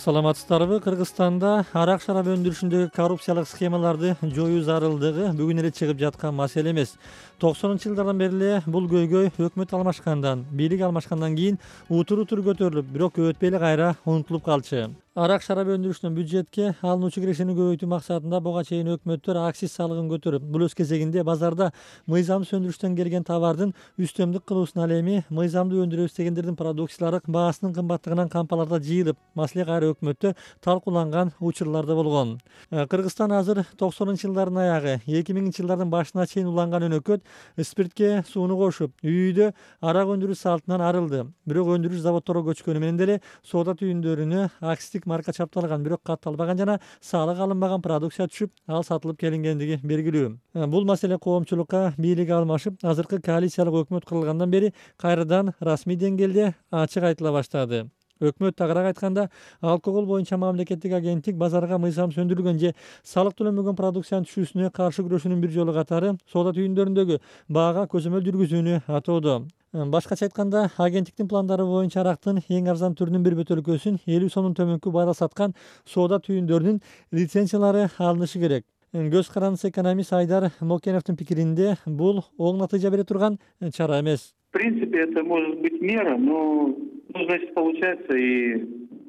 Саламатсыздарбы? Кыргызстанда арак шарап өндүрүшүндөгү коррупциялык схемаларды жоюу зарылдыгы бүгүн эле чыгып жаткан маселе эмес. 90-жылдардан бери эле бул көйгөй өкмөт алмашкандан, бийлик алмашкандан кийин утур-утур көтөрүлүп, бирок өтпөй эле кайра унутулуп калчу. Арак шарап өндүрүшүнөн бюджетке алынуучу кирешени көбөйтүү максатында буга чейин өкмөттөр акциз салыгын көтөрүп, бул өз кезегинде базарда мыйзамсыз өндүрүштөн келген товардын үстөмдүк кылуусуна ал эми мыйзамдуу өндүрөбүз дегендердин продукциялары баасынын кымбаттыгынан кампаларда жыйылып, маселе кайра өкмөттө талкууланган учурлар да болгон. Кыргызстан азыр 90-жылдардын аягы, 2000-жылдардын башына чейин уланган өнөкөт спиртке сууну кошуп, үйдө арак өндүрүү салтынан арылды. Бирок өндүрүш заводторго көчкөнү менен деле соода түйүндөрүнө акциздик марка чапталган, бирок катталбаган жана салык алынбаган продукция түшүп, ал сатылып келингендиги белгилүү. Бул маселе коомчулукка бийлик алмашып, азыркы коалициялык өкмөт курулгандан бери кайрадан расмий деңгээлде ачык айтыла баштады. Өкмөт тагыраак айтканда, алкогол боюнча мамлекеттик агенттик базарга мыйзамсыз өндүрүлгөн же салык төлөнбөгөн продукциянын түшүүсүнө каршы күрөшүүнүн бир жолу катары соода түйүндөрүндөгү баага көзөмөл жүргүзүүнү атоодо. Башкача айтканда, агенттиктин пландары боюнча арактын эң арзан түрүнүн бир бөтөлкөсүн 50 сомдон төмөнкү баада саткан соода түйүндөрүнүн лицензиялары алынышы керек. Көз карандысы экономист Айдар Мокеновдун пикиринде, бул оң натыйжа бере турган чара эмес. В принципе, это может быть мера, но значит получается и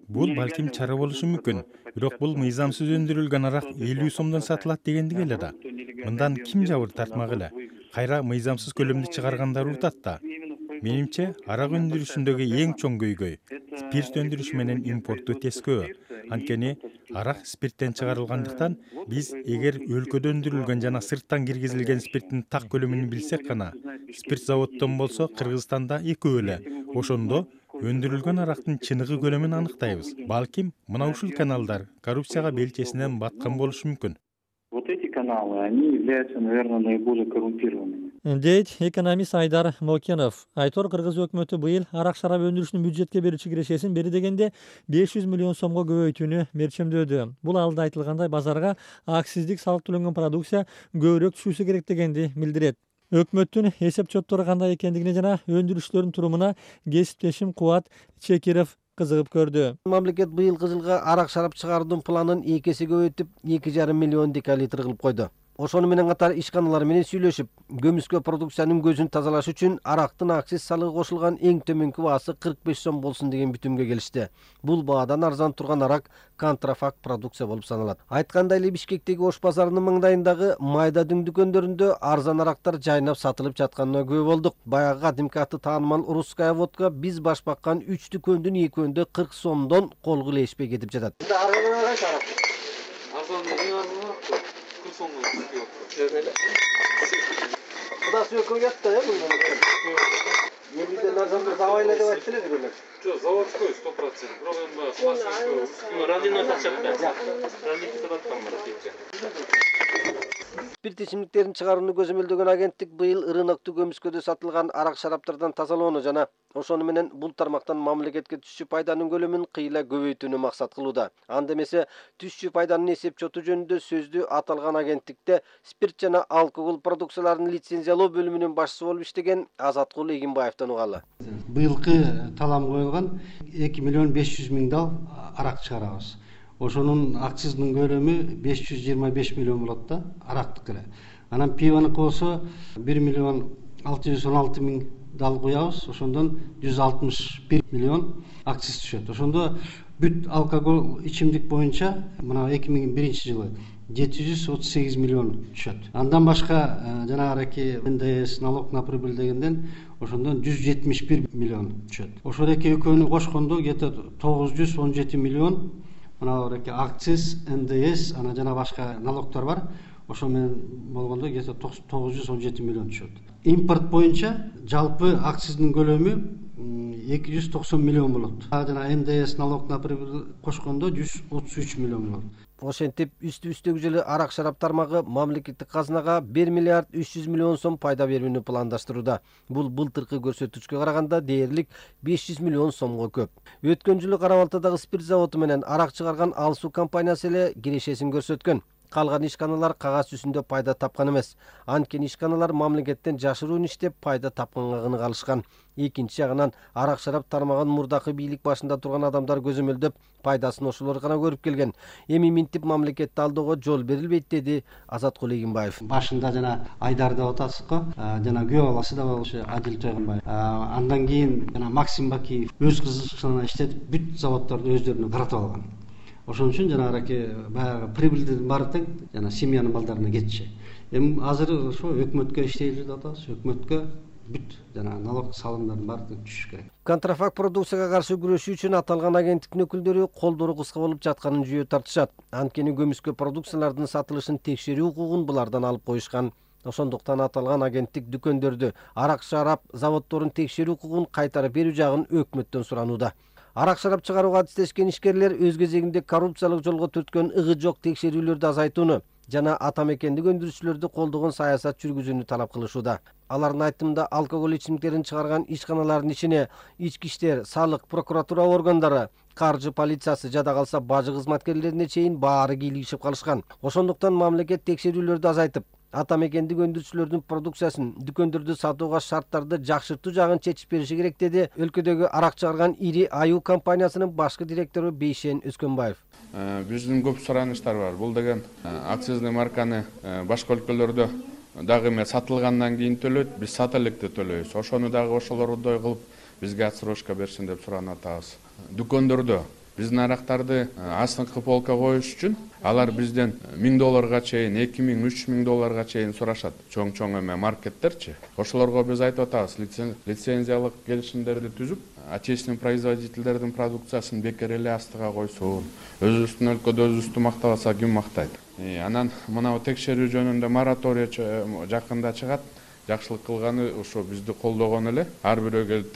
бул балким чара болушу мүмкүн. Бирок бул мыйзамсыз өндүрүлгөн арак 50 сомдон сатылат дегендик эле да. Мындан ким жабыр тартмак эле? Кайра мыйзамсыз көлөмдү чыгаргандар утат да. Менимче, арак өндүрүшүндөгү эң чоң көйгөй спирт өндүрүшү менен импортту тескөө. Анткени арак спирттен чыгарылгандыктан биз эгер өлкөдө өндүрүлгөн жана сырттан киргизилген спирттин так көлөмүн билсек гана, спирт заводдон болсо Кыргызстанда экөө эле. Ошондо өндүрүлгөн арактын чыныгы көлөмүн аныктайбыз. Балким мына ушул каналдар коррупцияга белчесинен баткан болушу мүмкүн. Вот эти каналы, они являются, наверное, наиболее коррумпированными. Дейт экономист Айдар Мокенов. Айтор Кыргыз өкмөтү быйыл арак шарап өндүрүшүнүн бюджетке берүүчү кирешесин бери дегенде 500 миллион сомго көбөйтүүнү мерчемдөөдү. Бул алда айтылгандай базарга акциздик салык төлөнгөн продукция көбүрөөк түшүүсү керек дегенди билдирет. Өкмөттүн эсеп чоттору кандай экендигине жана өндүрүшчүлөрдүн турумуна кесиптешим Кубат Чекиров кызыгып көрдү. Мамлекет быйылкы жылга арак шарап чыгаруунун планын 2 эсе көбөйтүп, 2,5 миллион декалитр кылып койду. Ошону менен катар ишканалар менен сүйлөшүп, көмүскө продукциянын көзүн тазалаш үчүн арактын акциз салыгы кошулган эң төмөнкү баасы 45 сом болсун деген бүтүмгө келишти. Бул баадан арзан турган арак контрафакт продукция болуп саналат. Айткандай эле Бишкектеги Ош базарынын маңдайындагы майда дүң дүкөндөрүндө арзан арактар жайнап сатылып жатканына күбө болдук. Баягы кадимки аты таанымал русская водка биз баш баккан 3 дүкөндүн 2-өндө 40 сомдон колго илешпей кетип жатат. Кудасы өкөө жатты, бул. Элден арзан завайла деп айтты эле бирөөлөр. Жок, заводской 100%. Проблема радино тачапты. Радино тачапты. Спирт ичимдиктерин чыгарууну көзөмөлдөгөн агенттик быйыл рынокту көмүскөдө сатылган арак шараптардан тазалоону жана ошону менен бул тармактан мамлекетке түшчү пайданын көлөмүн кыйла көбөйтүүнү максат кылууда. Анда эмесе түшчү пайданын эсеп чоту жөнүндө сөздү аталган агенттикте спирт жана алкогол продукцияларын лицензиялоо бөлүмүнүн башчысы болуп иштеген Азаткул Эгинбаевден угалы. Быйылкы талам коюлган 2 миллион 500 миң дал арак чыгарабыз. Ошонун акциздин көлөмү 525 миллион болот да, арактык эле. Анан пивонуку болсо 1 миллион 616 миң дал куябыз. Ошондон 161 миллион акциз түшөт. Ошондо бүт алкогол ичимдик боюнча мына 2001 жылы 738 миллион түшөт. Андан башка жанагы НДС, налог на прибыль дегенден ошондон 171 миллион түшөт. Ошол эки экөөнү кошкондо где-то 917 миллион мына акциз, НДС, ана жана башка налогтор бар. Ошо менен болгондо где-то 917 миллион түшөт. Импорт боюнча жалпы акциздин көлөмү 290 миллион болот. Жана НДС, налог на прибыль кошкондо 133 миллион болот. Ошентип үстү-үстөгү жылы арак шарап тармагы мамлекеттик казынага 1 миллиард 300 миллион сом пайда берүүнү пландаштырууда. Бул былтыркы көрсөткүчкө караганда дээрлик 500 миллион сомго көп. Өткөн жылы Кара Балтадагы спирт заводу менен арак чыгарган Алсу компаниясы эле кирешесин көрсөткөн. Калган ишканалар кагаз жүзүндө пайда тапкан эмес. Анткени ишканалар мамлекеттен жашыруун иштеп пайда тапканга гына калышкан. Экинчи жагынан арак шарап тармаган мурдакы бийлик башында турган адамдар көзөмөлдөп пайдасын ошолор гана көрүп келген. Эми минтип мамлекетти алдоого жол берилбейт, деди Азаткул Эгенбаев. Башында жана Айдар деп атасыз го, жана күйөө баласы да болчу Адил Жойгонбаев. Андан кийин жана Максим Бакиев өз кызыкчылыгына иштетип бүт заводдорду өздөрүнө каратып алган. Ошон үчүн жанагы баягы прибылдин баары тең жана семьянын балдарына кетчү. Эми азыр ошо өкмөткө иштейлер деп атабыз. Өкмөткө бүт жана налог салымдардын баары тең түшүш керек. Контрафакт продукцияга каршы күрөшүү үчүн аталган агенттиктин өкүлдөрү колдору кыска болуп жатканын жүйө тартышат. Анткени көмүскө продукциялардын сатылышын текшерүү укугун булардан алып коюшкан. Ошондуктан аталган агенттик дүкөндөрдү, арак шарап заводдорун текшерүү укугун кайтарып берүү жагын өкмөттөн суранууда. Арак шарап чыгарууга адистешкен ишкерлер өз кезегинде коррупциялык жолго түрткөн ыгы жок текшерүүлөрдү азайтууну жана ата мекендик өндүрүүчүлөрдү колдогон саясат жүргүзүүнү талап кылышууда. Алардын айтымында алкоголь ичимдиктерин чыгарган ишканалардын ичине ички иштер, салык, прокуратура органдары, каржы полициясы, жада калса бажы кызматкерлерине чейин баары кийлигишип калышкан. Ошондуктан мамлекет текшерүүлөрдү азайтып, ата мекендик өндүрүүчүлөрдүн продукциясын дүкөндөрдө сатууга шарттарды жакшыртуу жагын чечип бериши керек, деди өлкөдөгү арак чыгарган ири Аю компаниясынын башкы директору Бейшен Өскөнбаев. Биздин көп суранычтар бар. Бул деген акцизный марканы башка өлкөлөрдө дагы эме сатылгандан кийин төлөйт, биз сата электе төлөйбүз. Ошону дагы ошолордой кылып бизге отсрочка берсин деп суранып атабыз. Дүкөндөрдө биздин арактарды астыңкы полка коюш үчүн алар бизден $1000 чейин, $2000–3000 чейин сурашат. Чоң эме маркеттерчи. Ошолорго биз айтып атабыз, лицензиялык келишимдерди түзүп, отечественный производительдердин продукциясын бекер эле астыга койсун. Өзүбүздүн өлкөдө өзүбүздү мактабаса ким мактайт? Анан мына текшерүү жөнүндө мораторий жакында чыгат. Жакшылык кылганы ошо бизди колдогон эле. Ар бирөө келип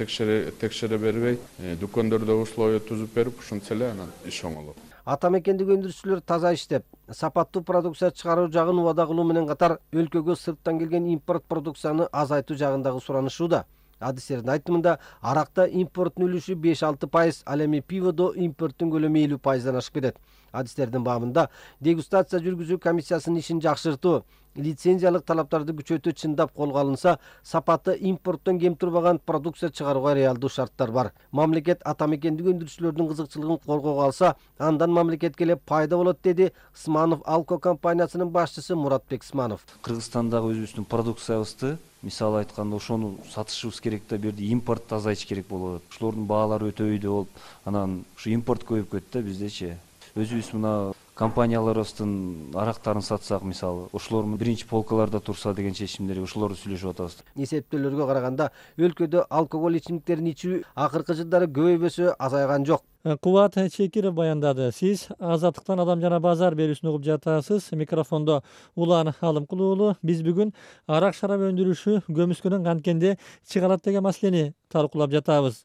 текшере бербей, дүкөндөрдө условия түзүп берип, ушунча эле анан иш оңолот. Ата мекендик өндүрүүчүлөр таза иштеп, сапаттуу продукция чыгаруу жагын убада кылуу менен катар өлкөгө сырттан келген импорт продукцияны азайтуу жагындагы суранышууда. Адистердин айтымында аракта импорттун үлүшү 5–6%, ал эми пиводо импорттун көлөмү 50%дан ашып кетет. Адистердин баамында дегустация жүргүзүү комиссиясынын ишин жакшыртуу, лицензиялык талаптарды күчөтүү чындап колго алынса, сапаты импорттон кем турбаган продукция чыгарууга реалдуу шарттар бар. Мамлекет ата мекендик өндүрүүчүлөрдүн кызыкчылыгын коргоого алса, андан мамлекетке эле пайда болот, деди Сманов Алко компаниясынын башчысы Муратбек Сманов. Кыргызстандагы өзүбүздүн продукциябызды, мисалы айтканда, ошону сатышыбыз керек да, берди импортту азайтыш керек болот. Ошолордун баалары өтө өйдө болуп, анан ушу импорт көбөйүп кетти да биздечи. Өзүбүз мына компанияларыбыздын арактарын сатсак, мисалы, ошолор биринчи полкаларда турса деген чечимдерди ошолорду сүйлөшүп атабыз. Эсептөөлөргө караганда өлкөдө алкоголь ичимдиктерин ичүү акыркы жылдары көбөйбөсө азайган жок. Кубат Чекиров баяндады. Сиз Азаттыктан Адам жана базар берүүсүн угуп жатасыз. Микрофондо Улан Алымкул уулу. Биз бүгүн арак шарап өндүрүшү көмүскөнөн канткенде чыгарат деген маселени талкуулап жатабыз.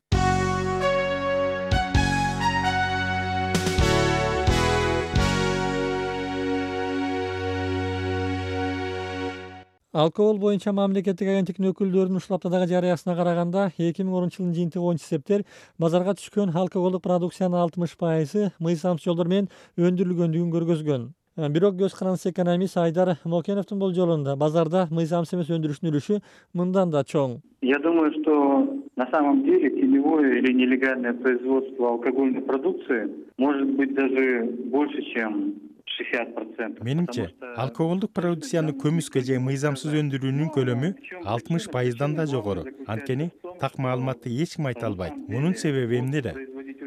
Алкогол боюнча мамлекеттик агенттиктин өкүлдөрүнүн ушул аптадагы жарыясына караганда 2010-жылдын жыйынтыгы боюнча эсептер базарга түшкөн алкоголдук продукциянын 60% мыйзамсыз жолдор менен өндүрүлгөндүгүн көргөзгөн. Бирок көз карандысыз экономист Айдар Мокеновдун болжолунда базарда мыйзамсыз эмес өндүрүштүн үлүшү мындан да чоң. Я думаю, что на самом деле теневое или нелегальное производство алкогольной продукции может быть даже больше, чем 60%. Менимче, алкоголдук продукцияны көмүскө же мыйзамсыз өндүрүүнүн көлөмү 60%дан да жогору. Анткени так маалыматты эч ким айта албайт. Мунун себеби эмнеде?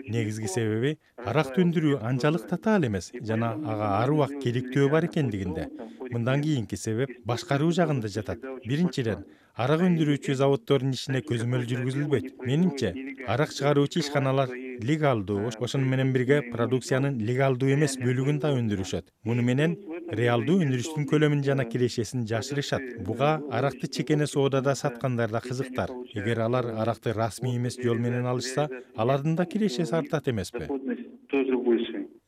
Негизги себеби аракты өндүрүү анчалык татаал эмес жана ага ар убак керектөө бар экендигинде. Мындан кийинки себеп башкаруу жагында жатат. Биринчиден, арак өндүрүүчү заводдордун ишине көзөмөл жүргүзүлбөйт. Менимче, арак чыгаруучу ишканалар легалдуу, ошону менен бирге продукциянын легалдуу эмес бөлүгүн да өндүрүшөт. Муну менен реалдуу өндүрүштүн көлөмүн жана кирешесин жашырышат. Буга аракты чекене соодада саткандар да кызыктар. Эгер алар аракты расмий эмес жол менен алышса, алардын да кирешеси артат эмеспи?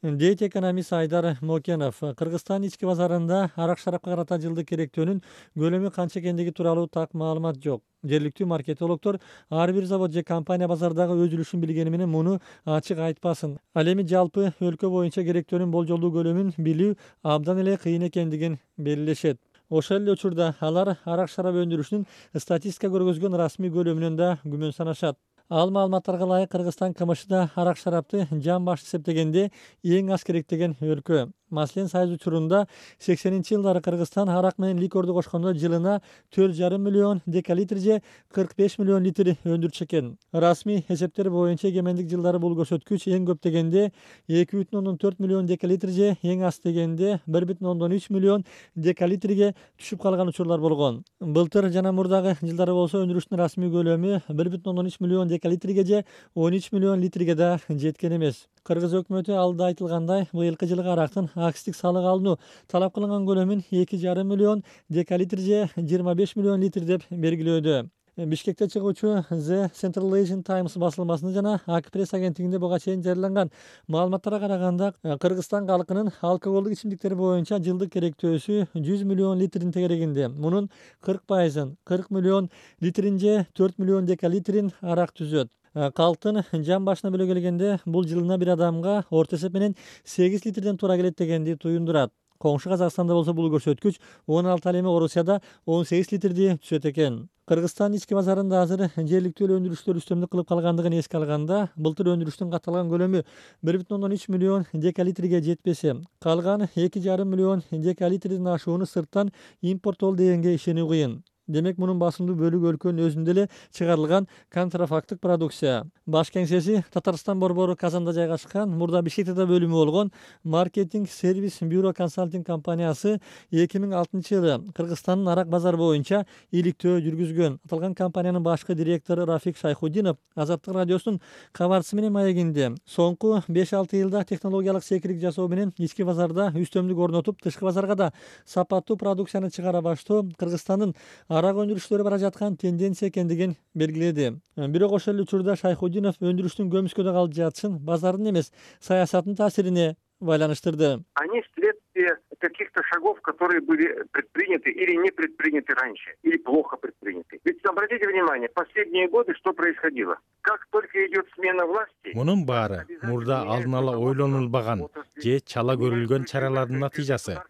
дейт экономист Айдар Мокенов. Кыргызстан ички базарында арак-шарапка карата жылдык керектөөнүн көлөмү канча экендиги тууралуу так маалымат жок. Жергиликтүү маркетологдор ар бир завод же компания базардагы өз үлүшүн билгени менен муну ачык айтпасын. Ал эми жалпы өлкө боюнча керектөөнүн болжолдуу көлөмүн билүү абдан эле кыйын экендигин белгилешет. Ошол эле учурда алар арак-шарап өндүрүшүнүн статистика көргөзгөн расмий көлөмүнөн да күмөн санашат. Ал маалыматтарга ылайык Кыргызстан КМШда арак-шарапты жан башты эсептегенде эң аз керектеген өлкө. Маселен, Союз учурунда 80-жылдары Кыргызстан арак менен ликорду кошкондо жылына 4,5 миллион декалитр же 45 миллион литр өндүрчү экен. Расмий эсептер боюнча эгемендик жылдары бул көрсөткүч эң көп дегенде 2,4 миллион декалитр же эң аз дегенде 1,3 миллион декалитрге түшүп калган учурлар болгон. Былтыр жана мурдагы жылдары болсо өндүрүштүн расмий көлөмү 1,3 миллион декалитрге же 13 миллион литрге да жеткен эмес. Кыргыз өкмөтү алда айтылгандай быйылкы жылга арактын акстик салык алынуу талап кылынган көлөмүн 2,5 миллион декалитр же 25 миллион литр деп белгилөөдө. Бишкекте чыгуучу The Central Asian Times басылмасында жана Ак-пресс агенттигинде буга чейин жарыяланган маалыматтарга караганда Кыргызстан калкынын алкоголдук ичимдиктер боюнча жылдык керектөөсү 100 миллион литрдин тегерегинде. Мунун 40%, 40 миллион литрин же 4 миллион декалитрин арак түзөт. Калктын жан башына бөлө келгенде бул жылына бир адамга орто эсеп менен 8 литрден туура келет дегенди туюндурат. Коңшу Казакстанда болсо бул көрсөткүч 16, ал эми Орусияда 18 литрди түзөт экен. Кыргызстан ички базарында азыр жергиликтүү эле өндүрүштөр үстөмдүк кылып калгандыгын эске алганда, былтыр өндүрүштүн катталган көлөмү 1,3 миллион декалитрге жетпесе, калган 2,5 миллион декалитрдин ашууну сырттан импорттоо дегенге ишенүү кыйын. Демек, мунун басымдуу бөлүгү өлкөнүн өзүндө эле чыгарылган контрафакттык продукция. Баш кеңсеси Татарстан борбору Казанда жайгашкан, мурда Бишкекте да бөлүмү болгон маркетинг сервис бюро консалтинг компаниясы 2006 жылы Кыргызстандын арак базары боюнча иликтөө жүргүзгөн. Аталган компаниянын башкы директору Рафик Шайхудинов Азаттык радиосунун кабарчысы менен маегинде соңку 5-6 жылда технологиялык секирик жасоо менен ички базарда үстөмдүк орнотуп, тышкы базарга да сапаттуу продукцияны чыгара баштоо Кыргызстандын арак өндүрүштөрү бара жаткан тенденция экендигин белгиледи. Бирок ошол эле учурда Шайхудинов өндүрүштүн көмүскөдө калып жатышын базардын эмес, саясаттын таасирине байланыштырды. Они следствие каких-то шагов, которые были предприняты или не предприняты раньше, или плохо предприняты. Ведь обратите внимание, последние годы что происходило? Как только идет смена власти... Мунун баары мурда алдын ала ойлонулбаган же чала көрүлгөн чаралардын натыйжасы.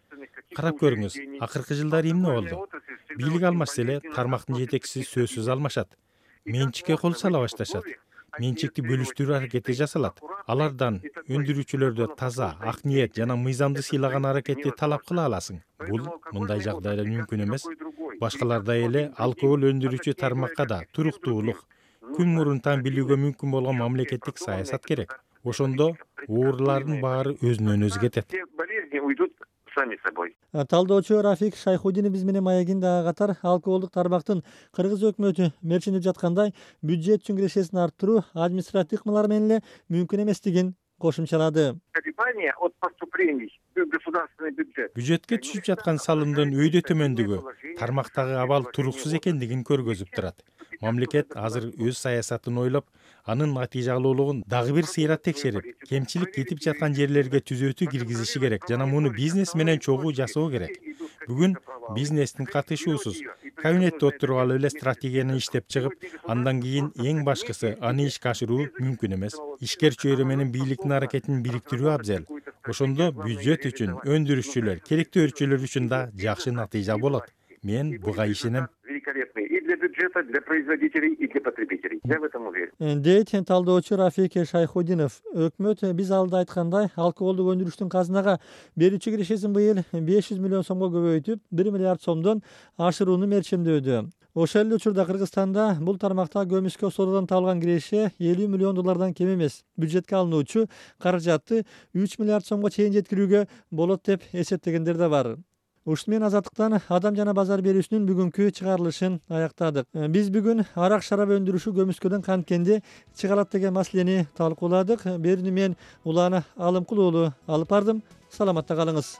Карап көрүңүз, акыркы жылдары эмне болду? Бийлик алмашса эле тармактын жетекчиси сөзсүз алмашат. Менчикке кол сала башташат. Менчикти бөлүштүрүү аракети жасалат. Алардан өндүрүүчүлөрдө таза, ак ниет жана мыйзамды сыйлаган аракетти талап кыла аласың. Бул мындай жагдайда мүмкүн эмес. Башкалардай эле алкоголь өндүрүүчү тармакка да туруктуулук, күн мурунтан билүүгө мүмкүн болгон мамлекеттик саясат керек. Ошондо оорлардын баары өзүнөн өзү кетет. Сами собой. Талдоочу Рафик Шайхудинов биз менен маегинде ага катар алкоголдук тармактын Кыргыз өкмөтү мерчинип жаткандай бюджет үчүн кирешесин арттыруу административдик ыкмалар менен эле мүмкүн эместигин кошумчалады. От поступлений в государственный бюджет. Бюджетке түшүп жаткан салымдын өйдө төмөндүгү тармактагы абал туруксуз экендигин көргөзүп турат. Мамлекет азыр өз саясатын ойлоп, анын натыйжалуулугун дагы бир сыйрат текшерип, кемчилик кетип жаткан жерлерге түзөтүү киргизиши керек жана муну бизнес менен чогуу жасоо керек. Бүгүн бизнестин катышуусуз кабинетте отуруп алып эле стратегияны иштеп чыгып, андан кийин эң башкысы аны ишке ашыруу мүмкүн эмес. Ишкер чөйрө менен бийликтин аракетин бириктирүү абзел. Ошондо бюджет үчүн, өндүрүүчүлөр, керектөөчүлөр үчүн да жакшы натыйжа болот. Мен буга ишенем. Великолепный и для бюджета, для производителей, и для потребителей. Я в этом уверен. Дейт талдоочу Рафик Шайхудинов. Өкмөт биз алда айткандай алкоголдук өндүрүштүн казынага берүүчү кирешесин быйыл 500 миллион сомго көбөйтүп, 1 миллиард сомдон ашырууну мерчемдөөдө. Ошол эле учурда Кыргызстанда бул тармакта көмүскө соодадан табылган киреше 50 миллион доллардан кем эмес. Бюджетке алынуучу каражатты 3 миллиард сомго чейин жеткирүүгө болот деп эсептегендер да бар. Ушун менен Азаттыктан адам жана базар берүүсүнүн бүгүнкү чыгарылышын аяктадык. Биз бүгүн арак-шарап өндүрүшү көмүскөдөн канткенде чыгарат деген маселени талкууладык. Берүүнү мен Улана Алымкулуулу алып бардым. Саламатта калыңыз.